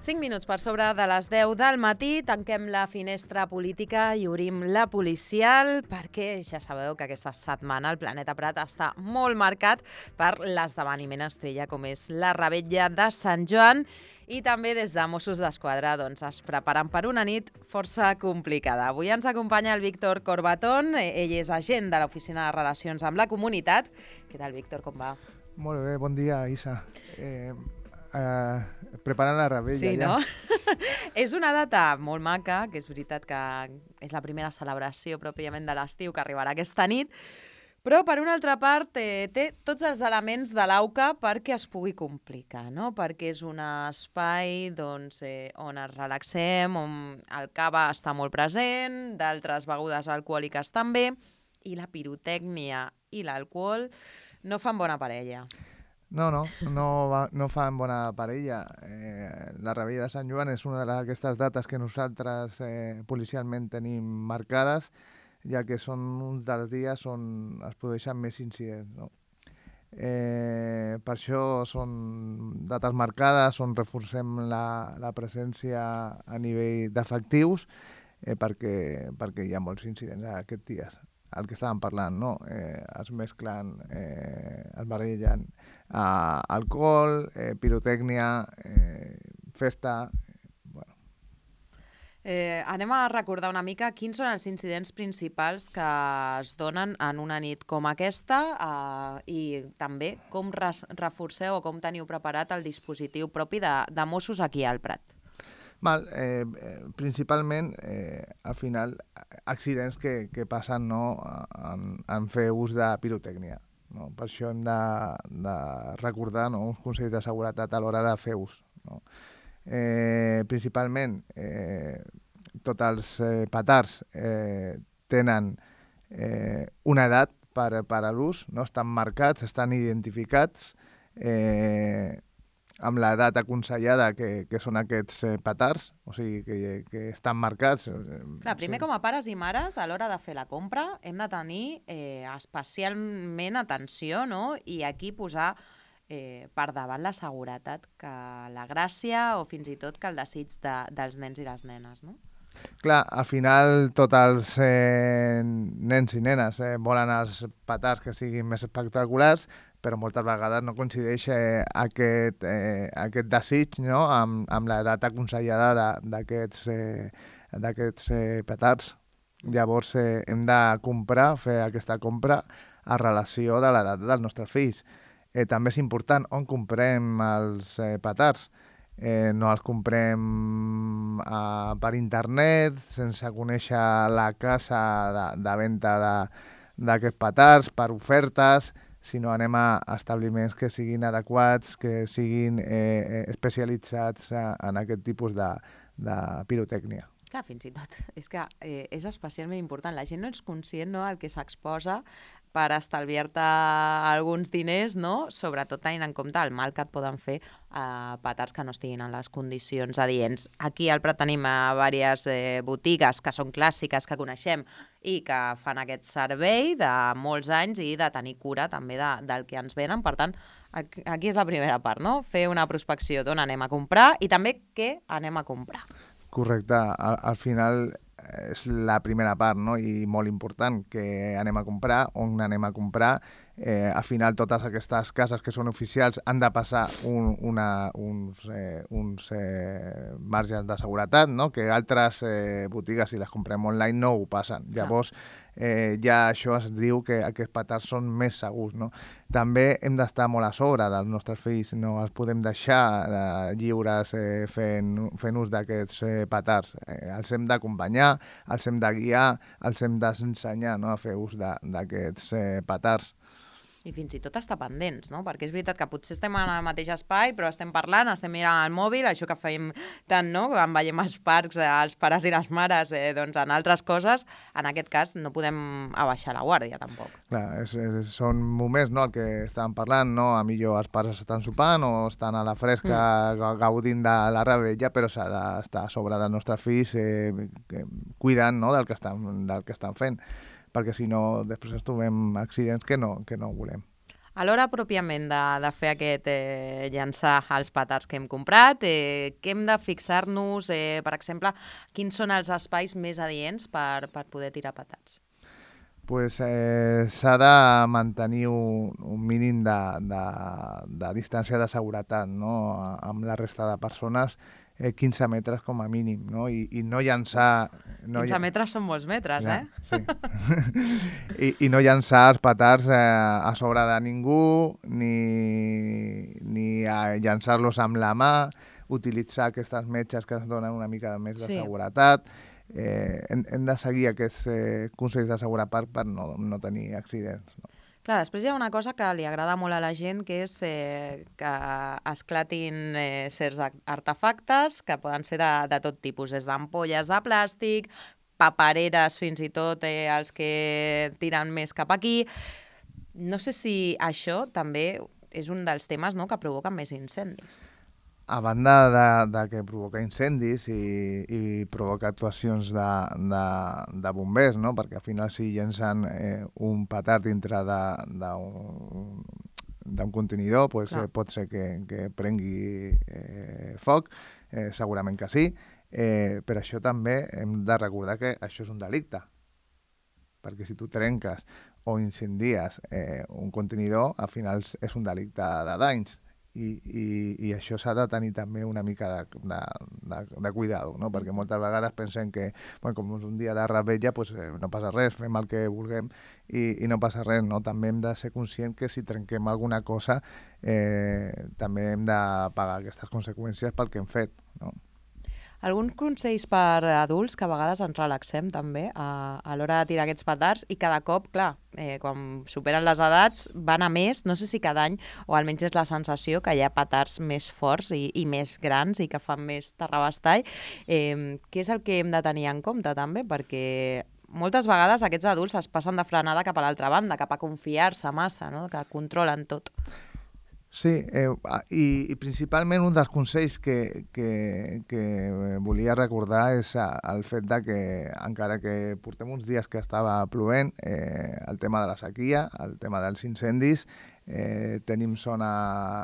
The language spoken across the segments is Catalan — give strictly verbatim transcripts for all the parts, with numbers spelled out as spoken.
cinc minuts per sobre de les deu del matí, tanquem la finestra política i obrim la policial perquè ja sabeu que aquesta setmana el Planeta Prat està molt marcat per l'esdeveniment estrella com és la Revetlla de Sant Joan i també des de Mossos d'Esquadra doncs, es preparen per una nit força complicada. Avui ens acompanya el Víctor Corbatón, ell és agent de l'Oficina de Relacions amb la Comunitat. Què tal, Víctor, com va? Molt bé, bon dia, Isa. Eh, eh, preparant la Revetlla, sí, ja. No? És una data molt maca, que és veritat que és la primera celebració pròpiament de l'estiu que arribarà aquesta nit, però, per una altra part, eh, té tots els elements de l'AUCA perquè es pugui complicar, no? Perquè és un espai doncs, eh, on ens relaxem, on el cava està molt present, d'altres begudes alcohòliques també, i la pirotècnia i l'alcohol no fan bona parella. No, no, no, va, no fan bona parella. Eh, la Revetlla de Sant Joan és una d'aquestes dates que nosaltres eh, policialment tenim marcades, ja que són uns dels dies on es produeixen més incidents, no? Eh, per això són dates marcades, on reforcem la, la presència a nivell d'efectius, eh, perquè, perquè hi ha molts incidents aquests dies. El que estàvem parlant, no? Eh, es mesclen, eh, es barregen eh, alcohol, eh, pirotècnia, eh, festa. Bueno. Eh, anem a recordar una mica quins són els incidents principals que es donen en una nit com aquesta eh, i també com res, reforceu o com teniu preparat el dispositiu propi de, de Mossos aquí al Prat. Val, eh, principalment, eh, al final, accidents que, que passen, no, en, en fer ús de pirotècnia. No? Per això hem de, de recordar, no, uns consells de seguretat a l'hora de fer ús. No? Eh, principalment, eh, tots els eh, petards eh, tenen eh, una edat per, per a l'ús, no? Estan marcats, estan identificats, eh, amb l'edat aconsellada que, que són aquests eh, petards, o sigui, que, que estan marcats. Clar, primer, sí. Com a pares i mares, a l'hora de fer la compra, hem de tenir eh, especialment atenció, no? I aquí posar eh, per davant la seguretat que la gràcia o fins i tot que el desig de, dels nens i les nenes, no? Clar, al final tots els eh, nens i nenes eh, volen els petards que siguin més espectaculars, però moltes vegades no coincideix eh, aquest, eh, aquest desig, no? amb, amb l'edat aconsellada d'aquests eh, d'aquests eh, petards. Llavors eh, hem de comprar, fer aquesta compra a relació de l'edat dels nostres fills. Eh, també és important on comprem els eh, petards. Eh, no els comprem eh, per internet, sense conèixer la casa de, de venda d'aquests petards, per ofertes, sinó anem a establiments que siguin adequats, que siguin eh, especialitzats en aquest tipus de, de pirotècnia. Clar, fins i tot. És que eh, és especialment important. La gent no és conscient, no?, al que s'exposa per estalviar-te alguns diners, no? Sobretot tenint en compte el mal que et poden fer eh, petards que no estiguin en les condicions adients. Aquí al Prat tenim eh, diverses eh, botigues que són clàssiques, que coneixem i que fan aquest servei de molts anys i de tenir cura també de, del que ens venen. Per tant, aquí, aquí és la primera part, no? Fer una prospecció d'on anem a comprar i també què anem a comprar. Correcte. Al, al final és la primera part, no? I molt important, que anem a comprar, on anem a comprar. Eh, al final totes aquestes cases que són oficials han de passar un, una, uns, eh, uns eh, marges de seguretat, no? Que altres eh, botigues, si les comprem online, no ho passen. Llavors, eh, ja això es diu que aquests petards són més segurs, no? També hem d'estar molt a sobre dels nostres fills, no els podem deixar eh, lliures eh, fent, fent ús d'aquests eh, petards. Eh, els hem d'acompanyar, els hem de guiar, els hem d'ensenyar, no?, a fer ús d'aquests eh, petards. I fins i tot estar pendents, no? Perquè és veritat que potser estem en el mateix espai, però estem parlant, estem mirant el mòbil, això que fem tant, no?, quan veiem els parcs, els pares i les mares, eh, doncs en altres coses, en aquest cas no podem abaixar la guàrdia, tampoc. Clar, és, és, són moments, no?, el que estàvem parlant, no?, a millor els pares estan sopant o estan a la fresca mm. gaudint de la revetlla, però s'ha d'estar a sobre dels nostres fills eh, cuidant, no?, del que estan, del que estan fent, perquè si no després ens trobem accidents que no, que no volem. A l'hora pròpiament de, de fer aquest eh, llançar els petards que hem comprat, eh, què hem de fixar-nos, eh, per exemple, quins són els espais més adients per, per poder tirar petards? Pues, eh, s'ha de mantenir un, un mínim de, de, de distància de seguretat, no? Amb la resta de persones, eh, quinze metres com a mínim, no? I, i no llançar... No quinze metres són molts metres, ja, eh? Sí. I, I no llançar els petards eh, a sobre de ningú, ni, ni a llançar-los amb la mà, utilitzar aquestes metges que es donen una mica més de Sí. seguretat. Eh, hem, hem de seguir aquests eh, consells de seguretat per no, no tenir accidents. No? Clar, després hi ha una cosa que li agrada molt a la gent, que és eh, que esclatin eh, certs ar- artefactes que poden ser de, de tot tipus, des d'ampolles de plàstic, papereres fins i tot, eh, els que tiren més cap aquí. No sé si això també és un dels temes, no?, que provoquen més incendis. A banda de, de que provoca incendis i, i provoca actuacions de, de, de bombers, no? Perquè al final si llencen eh, un petard dintre d'un d'un contenidor, pues, eh, pot ser que, que prengui eh, foc, eh, segurament que sí, eh, però això també hem de recordar que això és un delicte, perquè si tu trenques o incendies eh, un contenidor, al final és un delicte de danys. I, i, i això s'ha de tenir també una mica de, de, de, de cuidado, no? Perquè moltes vegades pensem que, bueno, com és un dia de revetlla, pues, eh, no passa res, fem el que vulguem i, i no passa res, no? També hem de ser conscients que si trenquem alguna cosa eh, també hem de pagar aquestes conseqüències pel que hem fet, no? Alguns consells per adults, que a vegades ens relaxem també a, a l'hora de tirar aquests petards i cada cop, clar, eh, quan superen les edats van a més, no sé si cada any, o almenys és la sensació que hi ha petards més forts i, i més grans i que fan més terrabastall. Eh, què és el que hem de tenir en compte també? Perquè moltes vegades aquests adults es passen de frenada cap a l'altra banda, cap a confiar-se massa, no?, que controlen tot. Sí, eh, i, i principalment un dels consells que, que, que volia recordar és el fet de que, encara que portem uns dies que estava plovent, eh, el tema de la sequia, el tema dels incendis, eh, tenim zona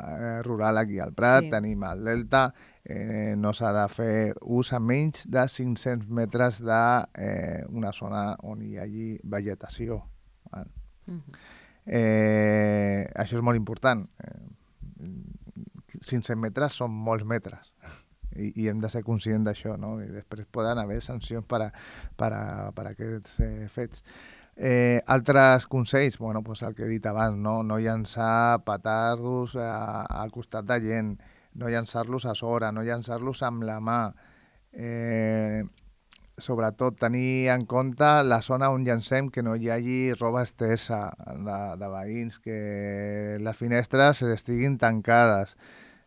eh, rural aquí al Prat, sí. Tenim el Delta, eh, no s'ha de fer ús a menys de cinc-cents metres d'una eh, zona on hi hagi vegetació. Val? Mm-hmm. Eh, això és molt important. Eh, cinc-cents metres són molts metres i, i hem de ser conscients d'això, no? I després poden haver sancions per a, per a, per a aquests eh, fets. Eh, altres consells, bueno, pues el que he dit abans, no, no llançar petardos a, al costat de gent, no llançar-los a sobre, no llançar-los amb la mà, eh, sobretot tenir en compte la zona on llancem, que no hi hagi roba estesa de, de veïns, que les finestres estiguin tancades.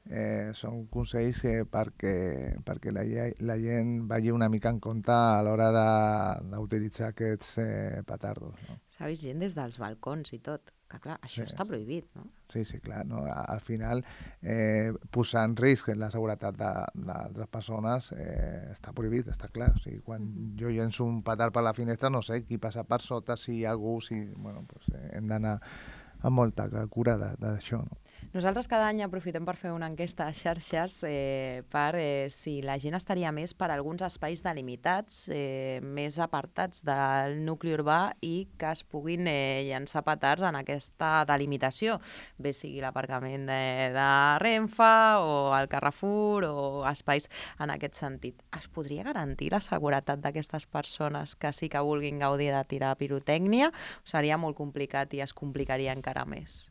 Eh, són consells que perquè, perquè la, la gent vagi una mica en compte a l'hora d'utilitzar aquests eh, petardos. No? S'ha vist gent des dels balcons i tot, que clar, això sí. Està prohibit, no? Sí, sí, clar. No? Al final, eh, posar en risc la seguretat d'altres persones eh, està prohibit, està clar. O sigui, quan mm-hmm. jo llenço un petard per la finestra, no sé qui passa per sota, si hi ha algú, si... Bueno, pues, eh, hem d'anar amb molta cura d'això, no? Nosaltres cada any aprofitem per fer una enquesta a xarxes eh, per eh, si la gent estaria més per alguns espais delimitats, eh, més apartats del nucli urbà i que es puguin eh, llançar petards en aquesta delimitació, bé sigui l'aparcament de, de Renfe o el Carrefour o espais en aquest sentit. Es podria garantir la seguretat d'aquestes persones que sí que vulguin gaudir de tirar pirotècnia? O seria molt complicat i es complicaria encara més?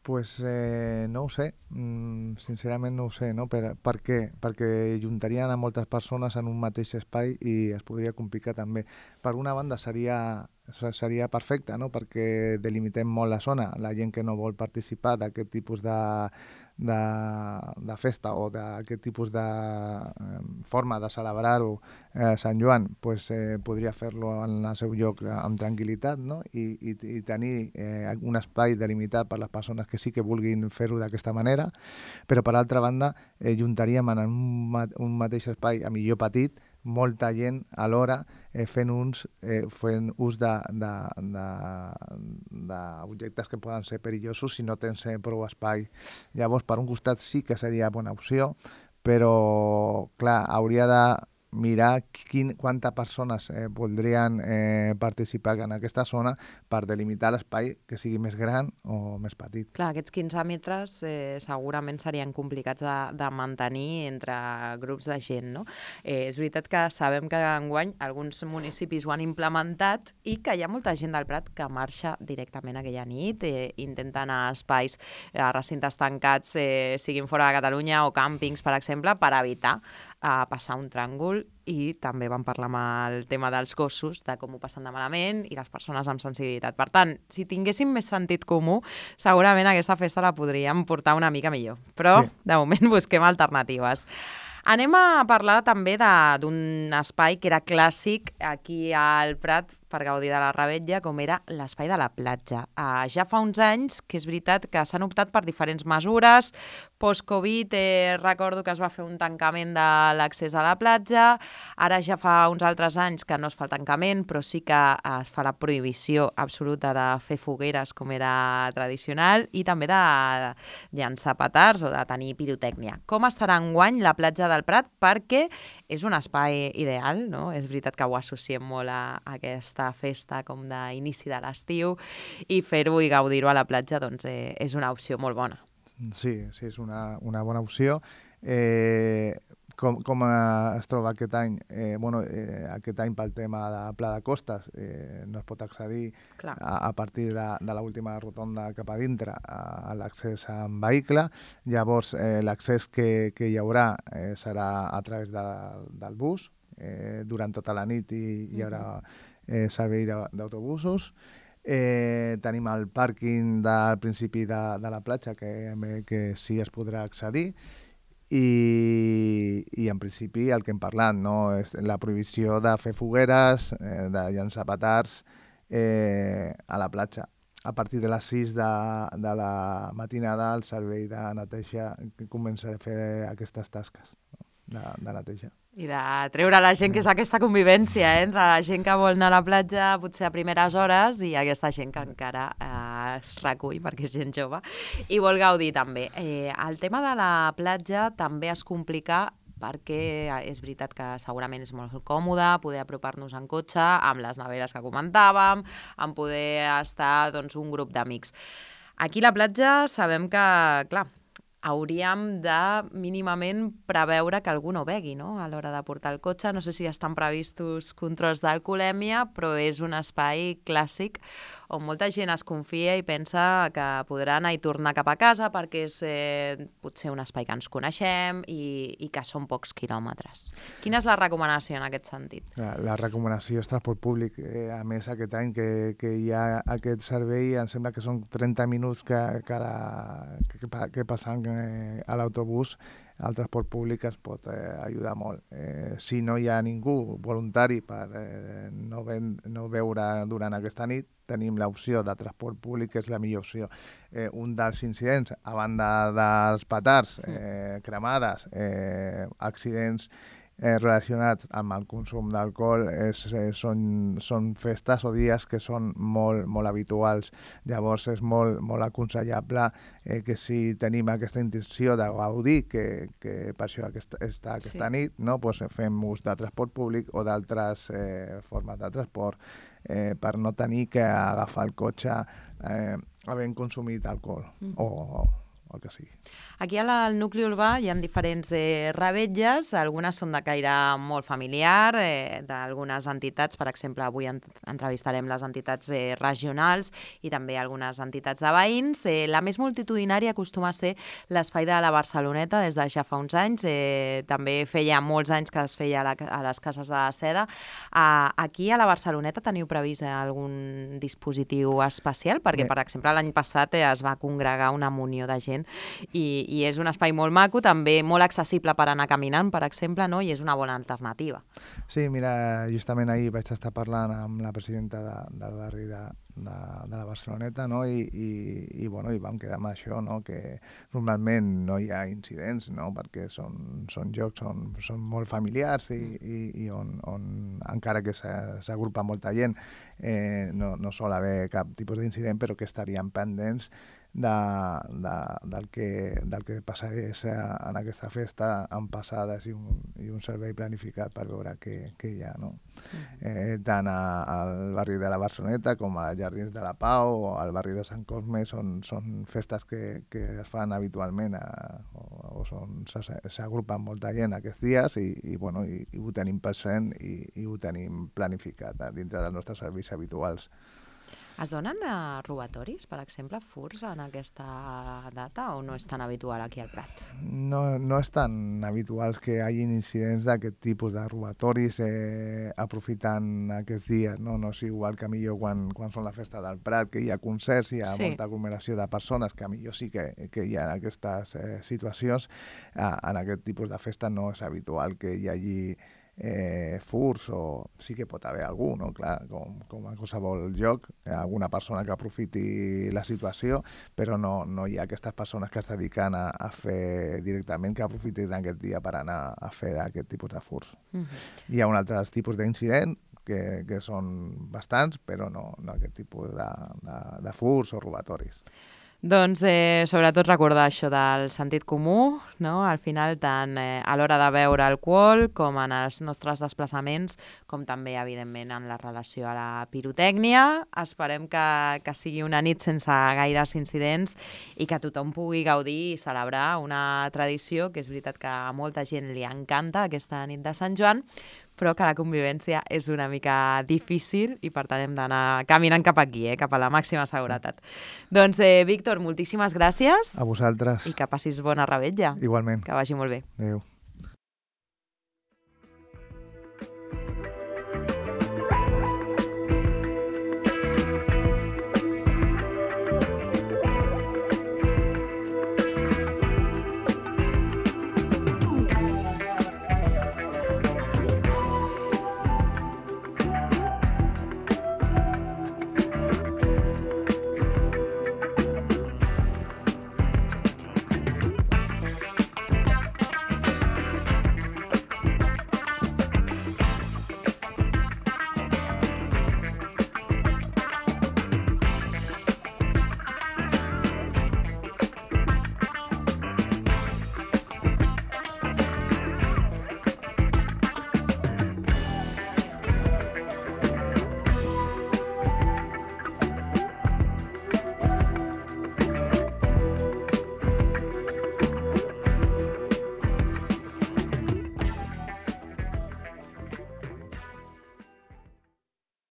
Pues eh, no ho sé, mm, sincerament no ho sé, no? Per, per què? Perquè juntarien a moltes persones en un mateix espai i es podria complicar també. Per una banda seria, seria perfecte, no? Perquè delimitem molt la zona. La gent que no vol participar d'aquest tipus de, de, de festa o d'aquest tipus de eh, forma de celebrar-ho eh, Sant Joan, pues, eh, podria fer-lo en el seu lloc amb tranquil·litat, no? I, i, i tenir eh, un espai delimitat per les persones que sí que vulguin fer-ho d'aquesta manera, però per altra banda eh, juntaríem en un, un mateix espai, a millor petit, molta gent alhora eh, fent, uns, eh, fent ús d'objectes que poden ser perillosos si no tens eh, prou espai. Llavors, per un costat sí que seria bona opció, però, clar, hauria de mirar quin, quantes persones eh, voldrien eh, participar en aquesta zona per delimitar l'espai que sigui més gran o més petit. Clar, aquests quinze metres eh, segurament serien complicats de, de mantenir entre grups de gent, no? Eh, és veritat que sabem que enguany alguns municipis ho han implementat i que hi ha molta gent del Prat que marxa directament aquella nit, eh, intenta anar a espais, a recintes tancats, eh, siguin fora de Catalunya o càmpings, per exemple, per evitar a passar un tràngol, i també vam parlar amb el tema dels gossos, de com ho passen de malament, i les persones amb sensibilitat. Per tant, si tinguéssim més sentit comú, segurament aquesta festa la podríem portar una mica millor. Però, sí, de moment, busquem alternatives. Anem a parlar també d'un espai que era clàssic aquí al Prat per gaudir de la revetlla, com era l'espai de la platja. Uh, ja fa uns anys que és veritat que s'han optat per diferents mesures. Post-Covid eh, recordo que es va fer un tancament de l'accés a la platja. Ara ja fa uns altres anys que no es fa el tancament, però sí que es fa la prohibició absoluta de fer fogueres com era tradicional i també de llançar petards o de tenir pirotècnia. Com estarà enguany la platja del Prat? Perquè és un espai ideal, no? És veritat que ho associem molt a, a aquesta festa com d'inici de l'estiu, i fer-ho i gaudir-ho a la platja doncs, eh, és una opció molt bona. Sí, sí, és una, una bona opció. Eh, com, com es troba aquest any? Eh, bueno, eh, aquest any pel tema de Pla de Costes eh, no es pot accedir a, a partir de, de l'última rotonda cap a dintre a, a l'accés en vehicle. Llavors, eh, l'accés que, que hi haurà eh, serà a través de, del bus. Eh, durant tota la nit i hi haurà eh, servei d'autobusos. Eh, tenim el pàrquing del principi de, de la platja que, que sí es podrà accedir i, i en principi el que hem parlat, no? És la prohibició de fer fogueres, eh, de llançar petards eh, a la platja. A partir de les sis de, de la matinada el servei de neteja començarà a fer aquestes tasques, no? de, de neteja. I de treure la gent, que és aquesta convivència eh? entre la gent que vol anar a la platja potser a primeres hores i aquesta gent que encara eh, es recull perquè és gent jove i vol gaudir també. Eh, el tema de la platja també es complica perquè és veritat que segurament és molt còmode poder apropar-nos en cotxe amb les neveres que comentàvem, amb poder estar doncs, un grup d'amics. Aquí a la platja sabem que, clar, hauríem de mínimament preveure que algú no begui, no?, a l'hora de portar el cotxe. No sé si estan previstos controls d'alcoholèmia, però és un espai clàssic on molta gent es confia i pensa que podrà anar i tornar cap a casa perquè és eh, potser un espai que ens coneixem i, i que són pocs quilòmetres. Quina és la recomanació en aquest sentit? La, la recomanació és transport públic. Eh, a més, aquest any que, que hi ha aquest servei, em sembla que són trenta minuts que, que, la, que, que passen eh, a l'autobús. El transport públic es pot eh, ajudar molt. Eh, si no hi ha ningú voluntari per eh, no, ven, no veure durant aquesta nit, tenim l'opció de transport públic, que és la millor opció. Eh, un dels incidents, a banda dels petards, eh, cremades, eh, accidents eh, relacionats amb el consum d'alcohol, eh, són, són festes o dies que són molt, molt habituals. Llavors és molt, molt aconsellable eh, que si tenim aquesta intenció de gaudir, que, que per això aquesta, està aquesta sí. nit, no? Pues fem ús de transport públic o d'altres eh, formes de transport eh, per no tenir que agafar el cotxe eh, havent consumit alcohol mm. o, o el que sigui. Aquí al nucli urbà hi ha diferents eh, revetlles, algunes són de caire molt familiar, eh, d'algunes entitats, per exemple, avui entrevistarem les entitats eh, regionals i també algunes entitats de veïns. Eh, la més multitudinària acostuma a ser l'espai de la Barceloneta des de ja fa uns anys, eh, també feia molts anys que es feia a, la, a les cases de la Seda. Uh, aquí a la Barceloneta teniu previst algun dispositiu especial? Perquè, per exemple, l'any passat eh, es va congregar una munió de gent totalment. I, i és un espai molt maco, també molt accessible per anar caminant, per exemple, no? I és una bona alternativa. Sí, mira, justament ahir vaig estar parlant amb la presidenta de, del barri de, de, de la Barceloneta, no? I, i, i, bueno, i vam quedar amb això, no? Que normalment no hi ha incidents, no? Perquè són, són jocs on són molt familiars i, i, i on, on encara que s'agrupa molta gent eh, no, no sol haver cap tipus d'incident, però que estaríem pendents de, de, del, que, del que passés en aquesta festa amb passades i un, i un servei planificat per veure què, què hi ha, no? Eh, tant a, al barri de la Barceloneta com a Jardins de la Pau o al barri de Sant Cosme són, són festes que, que es fan habitualment a, o, o són, s'agrupen molta gent aquests dies i, i, bueno, i, i ho tenim present i, i ho tenim planificat eh, dintre dels nostres serveis habituals. Es donen uh, robatoris, per exemple, furts en aquesta data o no és tan habitual aquí al Prat? No, no és tan habitual que hi hagi incidents d'aquest tipus de robatoris eh, aprofitant aquests dies. No, no és igual que millor quan, quan són la festa del Prat, que hi ha concerts, hi ha sí. molta aglomeració de persones, que millor sí que, que hi ha aquestes eh, situacions. Eh, en aquest tipus de festa no és habitual que hi hagi Eh, furs o sí que pot haver algú, no? Clar, com, com a qualsevol lloc, alguna persona que aprofiti la situació, però no, no hi ha aquestes persones que es dediquen a, a fer directament, que aprofitin aquest dia per anar a fer aquest tipus de furs. Uh-huh. Hi ha un altre tipus d'incident que, que són bastants, però no, no aquest tipus de, de, de furs o robatoris. Doncs eh, sobretot recordar això del sentit comú, no? Al final tant eh, a l'hora de beure alcohol com en els nostres desplaçaments, com també evidentment en la relació a la pirotècnia. Esperem que, que sigui una nit sense gaires incidents i que tothom pugui gaudir i celebrar una tradició que és veritat que a molta gent li encanta aquesta nit de Sant Joan, però que la convivència és una mica difícil i per tant hem d'anar caminant cap aquí, eh, cap a la màxima seguretat. Doncs, eh, Víctor, moltíssimes gràcies. A vosaltres. I que passis bona revetlla. Igualment. Que vagi molt bé. Adéu.